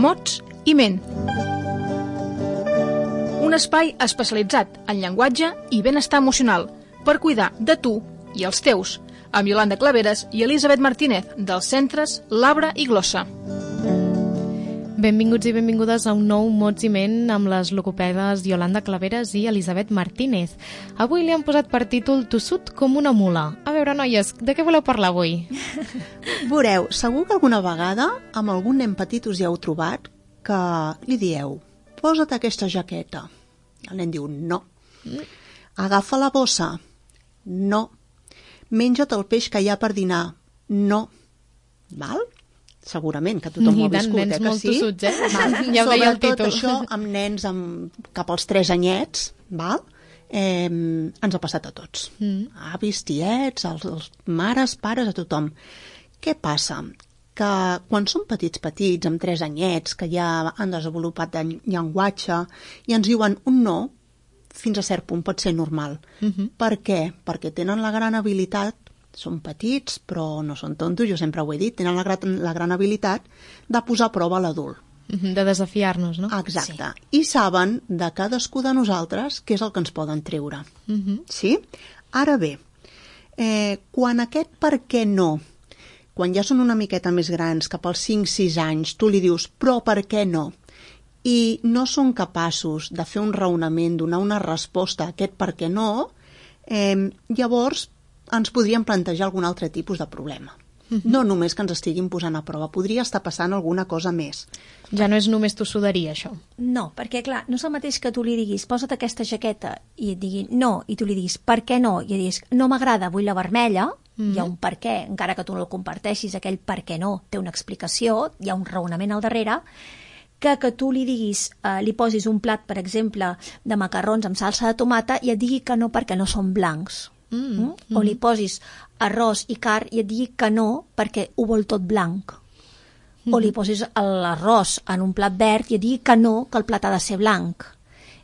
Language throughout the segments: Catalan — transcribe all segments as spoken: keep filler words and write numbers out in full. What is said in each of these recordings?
mots i ment. Un espai especialitzat en llenguatge i benestar emocional per cuidar de tu i els teus, amb Iolanda Claveres i Elisabet Martínez, dels centres Labra i Glossa. Benvinguts i benvingudes a un nou Mots i Ment amb les logopedes Iolanda Claveres i Elisabet Martínez. Avui li han posat per títol Tossut com una mula. A veure, noies, de què voleu parlar avui? Veureu, segur que alguna vegada amb algun nen petit us hi heu trobat que li dieu, posa't aquesta jaqueta. El nen diu, no. Agafa la bossa. No. Menja't el peix que hi ha per dinar. No. Val? Segurament que tothom ho ha viscut, nens eh, que molt sí? tossuts, eh? Ja ho deia el títol. Sobretot això amb nens amb, cap als tres anyets, val? Eh, ens ha passat a tots. Mm. Avis, tiets, els, els mares, pares, a tothom. Què passa? Que quan són petits petits, amb tres anyets, que ja han desenvolupat el llenguatge, i ens diuen un no, fins a cert punt pot ser normal. Mm-hmm. Per què? Perquè tenen la gran habilitat, són petits, però no són tontos, jo sempre ho he dit, tenen la gran, la gran habilitat de posar a prova l'adult. De desafiar-nos, no? Exacte. Sí. I saben de cadascú de nosaltres què és el que ens poden treure. Uh-huh. Sí? Ara bé, eh, quan aquest per què no, quan ja són una miqueta més grans, cap als cinc sis anys, tu li dius, però per què no? I no són capaços de fer un raonament, donar una resposta a aquest per què no, eh, llavors ens podríem plantejar algun altre tipus de problema. Uh-huh. No només que ens estiguin posant a prova, podria estar passant alguna cosa més. Ja no és només tossuderia, això. No, perquè, clar, no és el mateix que tu li diguis posa't aquesta jaqueta i et digui no, i tu li diguis per què no, i et diguis no m'agrada, vull la vermella, uh-huh. Hi ha un per què, encara que tu no el comparteixis, aquell per què no té una explicació, hi ha un raonament al darrere, que que tu li diguis, eh, li posis un plat, per exemple, de macarrons amb salsa de tomata i et digui que no perquè no són blancs. Mm, mm? O li posis arròs i carn i et digui que no perquè ho vol tot blanc. Mm. O li posis l'arròs en un plat verd i et digui que no, que el plat ha de ser blanc.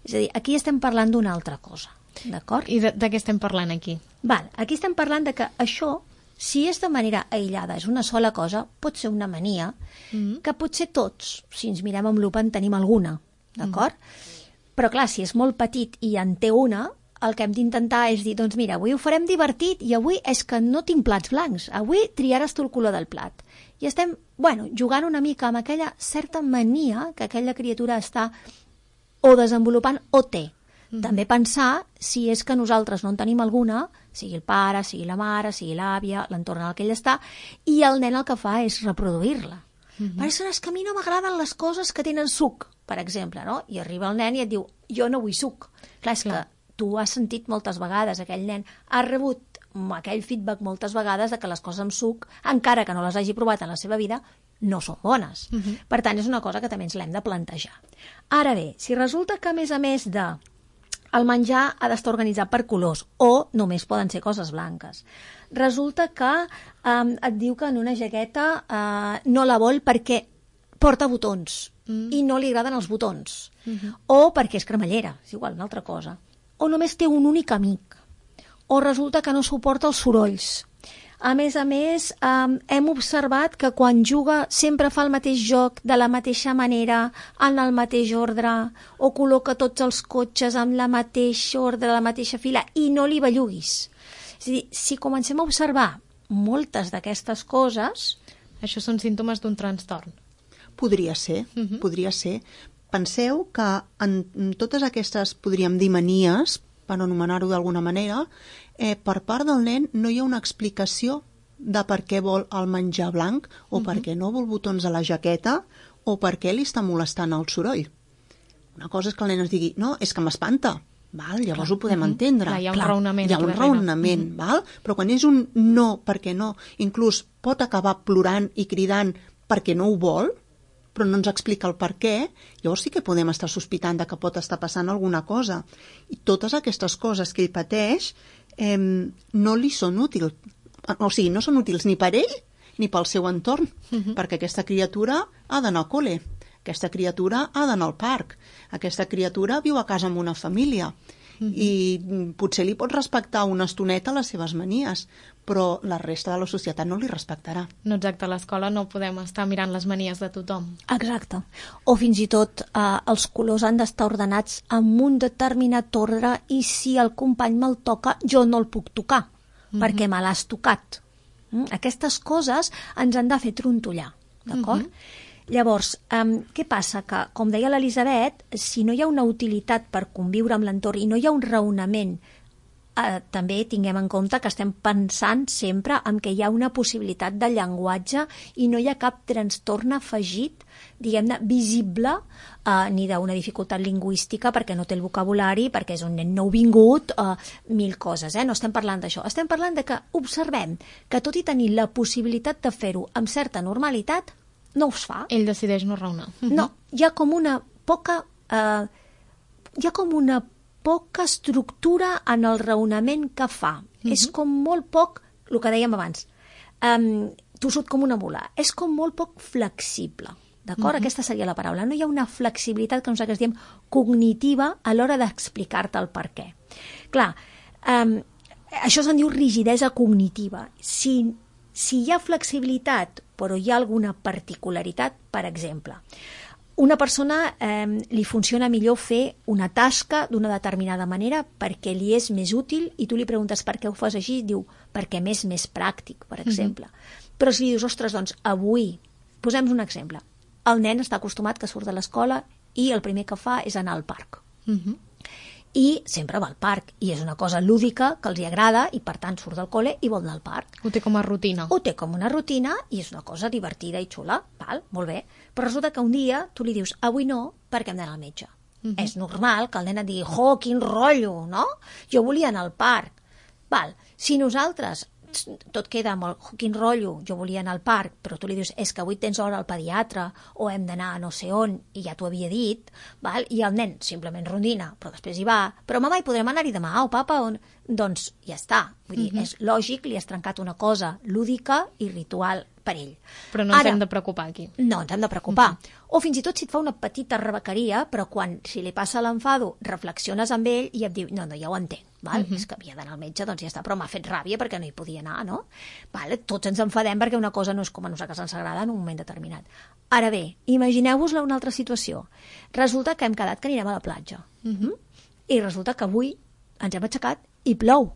És a dir, aquí estem parlant d'una altra cosa, d'acord? I de, de què estem parlant aquí? Val, aquí estem parlant de que això, si és de manera aïllada, és una sola cosa, pot ser una mania, mm. que potser tots, si ens mirem amb lupa, en tenim alguna, d'acord? Mm. Però clar, si és molt petit i en té una, el que hem d'intentar és dir, doncs mira, avui ho farem divertit i avui és que no tinc plats blancs, avui triaràs tu el color del plat. I estem, bueno, jugant una mica amb aquella certa mania que aquella criatura està o desenvolupant o té. Mm. També pensar si és que nosaltres no en tenim alguna, sigui el pare, sigui la mare, sigui l'àvia, l'entorn en el que ell està, i el nen el que fa és reproduir-la. Mm-hmm. Per això és que a mi no m'agraden les coses que tenen suc, per exemple, no? I arriba el nen i et diu, jo no vull suc. Clar, és Clar. que tu has sentit moltes vegades, aquell nen ha rebut aquell feedback moltes vegades de que les coses amb suc, encara que no les hagi provat en la seva vida, no són bones. Uh-huh. Per tant, és una cosa que també ens l'hem de plantejar. Ara bé, si resulta que a més a més de el menjar ha d'estar organitzat per colors o només poden ser coses blanques, resulta que um, et diu que en una jaqueta uh, no la vol perquè porta botons mm. i no li agraden els botons. Uh-huh. O perquè és cremallera, és igual, una altra cosa. O només té un únic amic, o resulta que no suporta els sorolls. A més a més, eh, hem observat que quan juga sempre fa el mateix joc de la mateixa manera, en el mateix ordre, o col·loca tots els cotxes en la mateixa ordre, la mateixa fila, i no li belluguis. És a dir, si comencem a observar moltes d'aquestes coses... Això són símptomes d'un trastorn. Podria ser, uh-huh. podria ser. Penseu que en totes aquestes, podríem dir, manies, per anomenar-ho d'alguna manera, eh, per part del nen no hi ha una explicació de per què vol el menjar blanc o uh-huh. per què no vol botons a la jaqueta o per què li està molestant el soroll. Una cosa és que el nen ens digui, no, és que m'espanta, val? Llavors Clar. ho podem uh-huh. entendre. Clar, hi ha un Clar, raonament. Hi ha un raonament, uh-huh. val? Però quan és un no, perquè no, inclús pot acabar plorant i cridant perquè no ho vol, però no ens explica el per què, llavors sí que podem estar sospitant de que pot estar passant alguna cosa. I totes aquestes coses que ell pateix eh, no li són útils. O sigui, no són útils ni per ell ni pel seu entorn, uh-huh. perquè aquesta criatura ha d'anar al col·le, aquesta criatura ha d'anar al parc, aquesta criatura viu a casa amb una família. Mm-hmm. I potser li pots respectar una estoneta les seves manies, però la resta de la societat no li respectarà. No, exacte, a l'escola no podem estar mirant les manies de tothom. Exacte. O fins i tot eh, els colors han d'estar ordenats amb un determinat ordre i si el company me'l toca, jo no el puc tocar, mm-hmm. perquè me l'has tocat. Mm? Aquestes coses ens han de fer trontollar, d'acord? Mm-hmm. Llavors, um, què passa? Que, com deia l'Elisabet, si no hi ha una utilitat per conviure amb l'entorn i no hi ha un raonament, eh, també tinguem en compte que estem pensant sempre en que hi ha una possibilitat de llenguatge i no hi ha cap trastorn afegit, diguem-ne, visible, eh, ni d'una dificultat lingüística perquè no té el vocabulari, perquè és un nen nouvingut, eh, mil coses, eh? No estem parlant d'això. Estem parlant de que observem que tot i tenir la possibilitat de fer-ho amb certa normalitat, no us fa. Ell decideix no raonar. No, hi ha com una poca... Eh, hi ha com una poca estructura en el raonament que fa. Uh-huh. És com molt poc, el que dèiem abans, um, tossut com una mula, és com molt poc flexible. D'acord? Uh-huh. Aquesta seria la paraula. No hi ha una flexibilitat que nosaltres diem cognitiva a l'hora d'explicar-te el per què. Clar, um, això se'n diu rigidesa cognitiva. Si, si hi ha flexibilitat però hi ha alguna particularitat, per exemple. Una persona eh, li funciona millor fer una tasca d'una determinada manera perquè li és més útil i tu li preguntes per què ho fas així i diu perquè m'és més pràctic, per exemple. Mm-hmm. Però si li dius, ostres, doncs avui, posem un exemple, el nen està acostumat que surt de l'escola i el primer que fa és anar al parc. Mm-hmm. I sempre va al parc, i és una cosa lúdica que els hi agrada, i per tant surt del col·le i vol anar al parc. Ho té com a rutina. Ho té com una rutina, i és una cosa divertida i xula, val? Molt bé. Però resulta que un dia tu li dius, avui no, perquè hem d'anar al metge. Uh-huh. És normal que el nen et digui, jo, quin rotllo, no? Jo volia anar al parc. Val. Si nosaltres tot queda molt, quin rotllo, jo volia anar al parc, però tu li dius, és que avui tens hora al pediatre, o hem d'anar a no sé on, i ja t'ho havia dit, val? I el nen simplement rondina, però després hi va, però mama, hi podrem anar-hi demà, o papa, on... doncs ja està. Vull dir, uh-huh. és lògic, li has trencat una cosa lúdica i ritual per ell. Però no ens Ara, hem de preocupar aquí. No, ens hem de preocupar. Uh-huh. O fins i tot si et fa una petita rebequeria, però quan, si li passa l'enfado, reflexiones amb ell i et diu, no, no, ja ho entenc, val? Uh-huh. És que havia d'anar al metge, doncs ja està, però m'ha fet ràbia perquè no hi podia anar, no? Val? Tots ens enfadem perquè una cosa no és com a nosaltres ens agrada en un moment determinat. Ara bé, imagineu-vos-la una altra situació. Resulta que hem quedat que anirem a la platja. Uh-huh. I resulta que avui ens hem aixecat i plou.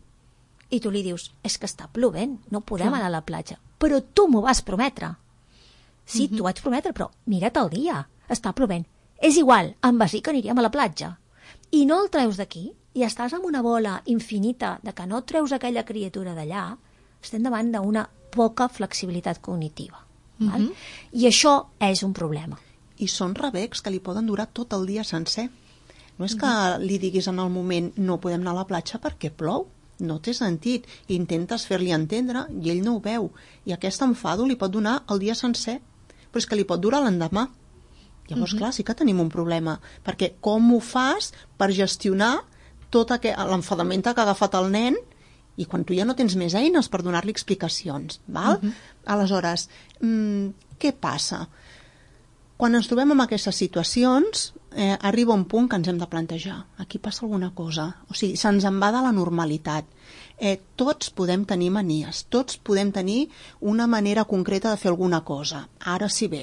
I tu li dius, és que està plovent, no podem anar a la platja. Però tu m'ho vas prometre. Sí, uh-huh. t'ho vaig prometre, però mira't el dia, està plovent. És igual, em vas dir que aniríem a la platja. I no el treus d'aquí, i estàs amb una bola infinita de que no treus aquella criatura d'allà, estem davant d'una poca flexibilitat cognitiva. Uh-huh. Val? I això és un problema. I són rebecs que li poden durar tot el dia sencer. No és que li diguis en el moment no podem anar a la platja perquè plou, no té sentit. Intentes fer-li entendre i ell no ho veu. I aquest enfado li pot donar el dia sencer, però és que li pot durar l'endemà. Llavors, uh-huh. clar, sí que tenim un problema, perquè com ho fas per gestionar tot l'enfadament que ha agafat el nen i quan tu ja no tens més eines per donar-li explicacions, val? Uh-huh. Aleshores, mmm, què passa? Quan ens trobem en aquestes situacions, eh, arriba un punt que ens hem de plantejar. Aquí passa alguna cosa. O sigui, se'ns en va de la normalitat. Eh, tots podem tenir manies, tots podem tenir una manera concreta de fer alguna cosa. Ara sí bé,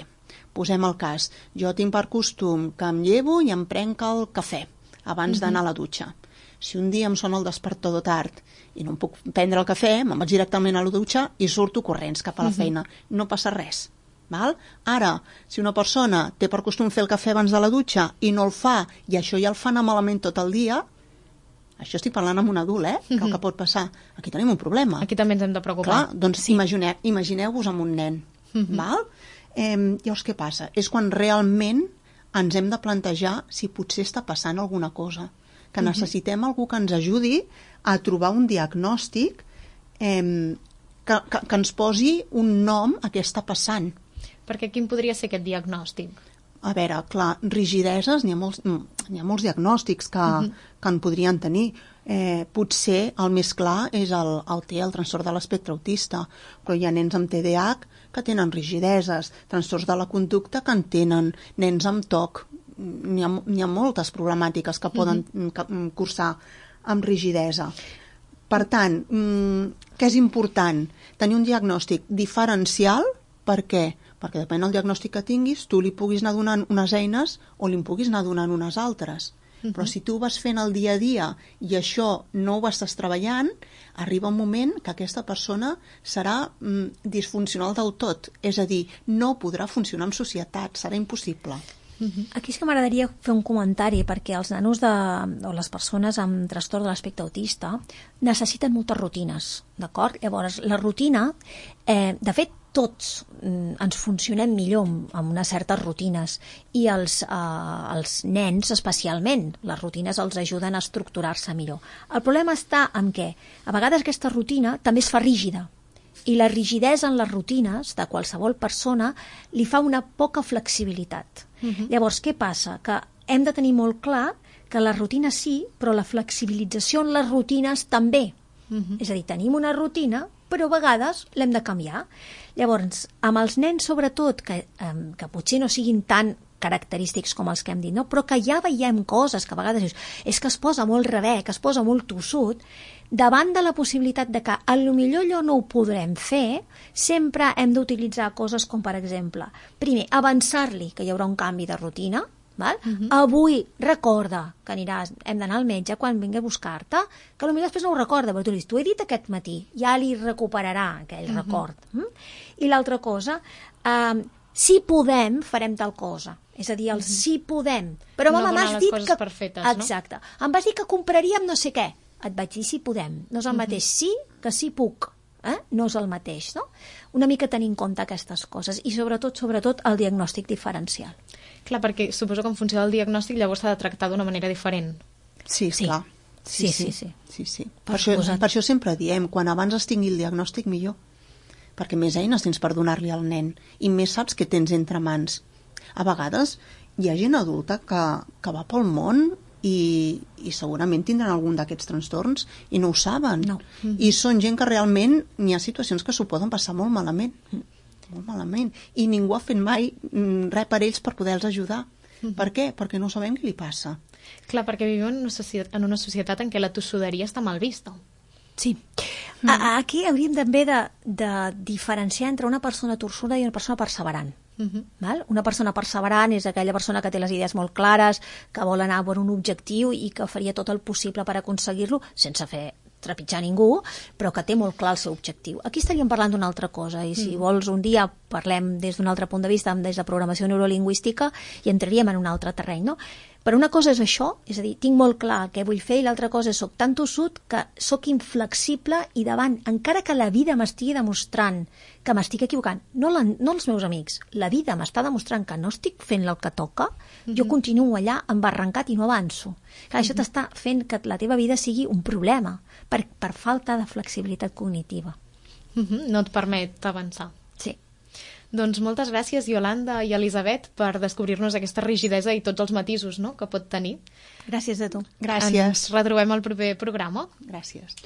posem el cas. Jo tinc per costum que em llevo i em prenc el cafè abans uh-huh. d'anar a la dutxa. Si un dia em sona el despertador tard i no em puc prendre el cafè, me'n vaig directament a la dutxa i surto corrents cap a la uh-huh. feina. No passa res. Val? Ara, si una persona té per costum fer el cafè abans de la dutxa i no el fa, i això ja el fa anar malament tot el dia, això estic parlant amb un adult, eh? Que el que pot passar. Aquí tenim un problema. Aquí també ens hem de preocupar. Clar, doncs sí. imagineu, imagineu-vos amb un nen. Uh-huh. Val? Eh, llavors, què passa? És quan realment ens hem de plantejar si potser està passant alguna cosa. Que uh-huh. necessitem algú que ens ajudi a trobar un diagnòstic eh, que, que, que ens posi un nom a què està passant. Perquè quin podria ser aquest diagnòstic? A veure, clar, rigideses, n'hi ha molts, n'hi ha molts diagnòstics que, uh-huh. que en podrien tenir. Eh, potser el més clar és el, el T, el trastorn de l'espectre autista, però hi ha nens amb T D A H que tenen rigideses, trastorns de la conducta que en tenen, nens amb T O C. N'hi ha, n'hi ha moltes problemàtiques que poden uh-huh. cursar amb rigidesa. Per tant, què és important? Tenir un diagnòstic diferencial. Per què? Perquè depèn del diagnòstic que tinguis, tu li puguis anar donant unes eines o li puguis anar donant unes altres. Uh-huh. Però si tu ho vas fent el dia a dia i això no ho estàs treballant, arriba un moment que aquesta persona serà mm, disfuncional del tot. És a dir, no podrà funcionar en societat, serà impossible. Aquí és que m'agradaria fer un comentari, perquè els nanos de, o les persones amb trastorn de l'aspecte autista necessiten moltes rutines, d'acord? Llavors, la rutina, eh, de fet, tots mm, ens funcionem millor amb, amb unes certes rutines i els, eh, els nens especialment, les rutines els ajuden a estructurar-se millor. El problema està en què a vegades aquesta rutina també es fa rígida, i la rigidesa en les rutines de qualsevol persona li fa una poca flexibilitat. Uh-huh. Llavors, què passa? Que hem de tenir molt clar que la rutina sí, però la flexibilització en les rutines també. Uh-huh. És a dir, tenim una rutina, però a vegades l'hem de canviar. Llavors, amb els nens sobretot, que, eh, que potser no siguin tan característics com els que hem dit, no? Però que ja veiem coses que a vegades dius, és que es posa molt rebè, que es posa molt tossut, davant de la possibilitat de que a lo millor allò no ho podrem fer, sempre hem d'utilitzar coses com, per exemple, primer, avançar-li que hi haurà un canvi de rutina, val? Uh-huh. Avui recorda que aniràs, hem d'anar al metge quan vingui a buscar-te, que potser després no ho recorda, però tu li dius, t'ho he dit aquest matí, ja li recuperarà aquell uh-huh. record. Mm? I l'altra cosa, eh, si podem, farem tal cosa. És a dir, el uh-huh. si podem. Però no mama, m'has dit que... Perfetes, exacte. No? Em vas dir que compraríem no sé què. Et vaig dir si podem. No és el uh-huh. mateix sí que sí puc. Eh? No és el mateix, no? Una mica tenir en compte aquestes coses i sobretot, sobretot, el diagnòstic diferencial. Clar, perquè suposo que en funció del diagnòstic llavors s'ha de tractar d'una manera diferent. Sí, sí. clar. Sí, sí, sí. sí. sí, sí. Per, per, això, per això sempre diem, quan abans es tingui el diagnòstic, millor. Perquè més eines tens per donar-li al nen i més saps què tens entre mans. A vegades hi ha gent adulta que, que va pel món i, i segurament tindran algun d'aquests trastorns i no ho saben. No. Mm-hmm. I són gent que realment hi ha situacions que s'ho poden passar molt malament. Molt malament. I ningú ha fet mai res per ells per poder-los ajudar. Mm-hmm. Per què? Perquè no sabem què li passa. Clar, perquè vivim en una societat, en una societat en què la tossuderia està mal vista. Sí. Mm. A, aquí hauríem també de, de diferenciar entre una persona torçuda i una persona perseverant. Uh-huh. Val? Una persona perseverant és aquella persona que té les idees molt clares, que vol anar per un objectiu i que faria tot el possible per aconseguir-lo sense fer trepitjar ningú, però que té molt clar el seu objectiu. Aquí estaríem parlant d'una altra cosa i si mm. vols un dia parlem des d'un altre punt de vista, des de programació neurolingüística i entraríem en un altre terreny, no? Però una cosa és això, és a dir, tinc molt clar el que vull fer i l'altra cosa és soc tan tossut que soc inflexible i davant, encara que la vida m'estigui demostrant que m'estic equivocant, no, la, no els meus amics, la vida m'està demostrant que no estic fent el que toca, mm-hmm. jo continuo allà embarrancat i no avanço. Clar, mm-hmm. Això t'està fent que la teva vida sigui un problema per, per falta de flexibilitat cognitiva. Mm-hmm. No et permet avançar. Sí. Doncs moltes gràcies, Iolanda i Elisabet, per descobrir-nos aquesta rigidesa i tots els matisos, no?, que pot tenir. Gràcies a tu. Gràcies. Ens retrobem al proper programa. Gràcies.